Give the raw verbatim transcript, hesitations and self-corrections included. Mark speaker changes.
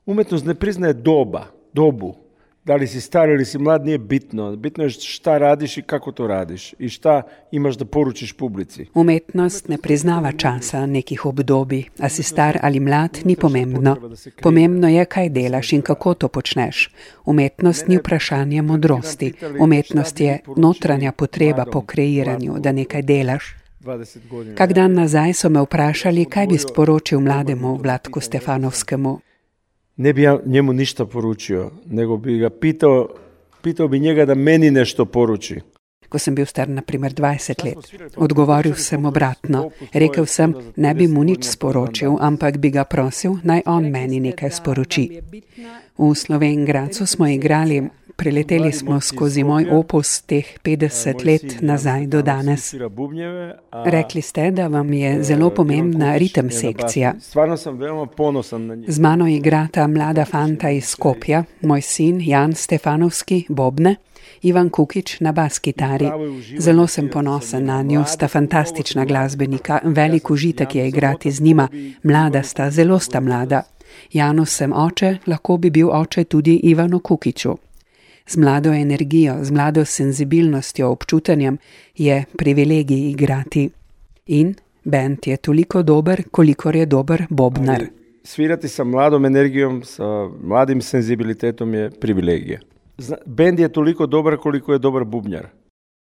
Speaker 1: Umetnost ne priznaje doba, dobu. Da li si star ili si mlad nije bitno. Bitno je šta radiš i kako to radiš i šta imaš da poručiš publici.
Speaker 2: Umetnost ne priznava časa, nekih obdobij, a si star ali mlad ni pomembno. Pomembno je, kaj delaš in kako to počneš. Umetnost ni vprašanje modrosti. Umetnost je notranja potreba po kreiranju, da nekaj delaš. Kak dan nazaj so me vprašali, kaj bi sporočil mlademu Vlatku Stefanovskemu.
Speaker 1: Ne bi ja njemu ništa poručio, nego bi ga pitao, pitao bi njega da meni nešto poruči.
Speaker 2: Ko sem bil star na primer dvajset let, odgovoril sem obratno. Rekel sem, ne bi mu nič sporočil, ampak bi ga prosil, naj on meni nekaj sporoči. V Slovenj Gradcu smo igrali, preleteli smo skozi moj opus teh petdeset let nazaj do danes. Rekli ste, da vam je zelo pomembna ritem sekcija.
Speaker 1: Stvarno sem veoma ponosan na njih.
Speaker 2: Z mano igrata mlada fanta iz Skopja, moj sin Jan Stefanovski, bobne, Ivan Kukič na bas kitari. Zelo sem ponosen na njo, sta fantastična glasbenika, velik užitek je igrati z njima, mlada sta, zelo sta mlada. Janu sem oče, lahko bi bil oče tudi Ivanu Kukiču. Z mlado energijo, z mlado senzibilnostjo, občutenjem je privilegij igrati. In bend je toliko dober, kolikor je dober bobnar.
Speaker 1: Svirati sa mladom energijom, sa mladim senzibilitetom je privilegija. Bend je toliko dobar koliko je dobar bubnjar.